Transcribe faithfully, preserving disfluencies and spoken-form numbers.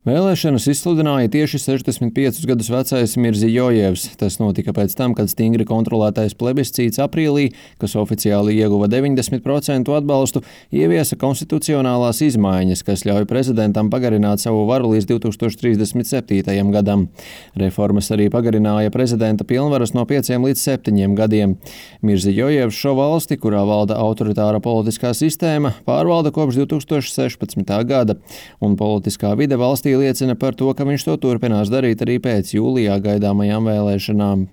Vēlēšanas izsludināja tieši sešdesmit piecus gadus vecais Mirzijojevs. Tas notika pēc tam, kad stingri kontrolētais plebiscīts aprīlī, kas oficiāli ieguva deviņdesmit procentu atbalstu, ieviesa konstitucionālās izmaiņas, kas ļauj prezidentam pagarināt savu varu līdz divi tūkstoši trīsdesmit septītajam gadam. Reformas arī pagarināja prezidenta pilnvaras no pieciem līdz septiņiem gadiem. Mirzijojevs šo valsti, kurā valda autoritāra politiskā sistēma, pārvalda kopš divi tūkstoši sešpadsmitā gada, un politiskā vide valstī liecina par to, ka viņš to turpinās darīt arī pēc jūlijā gaidāmajām vēlēšanām.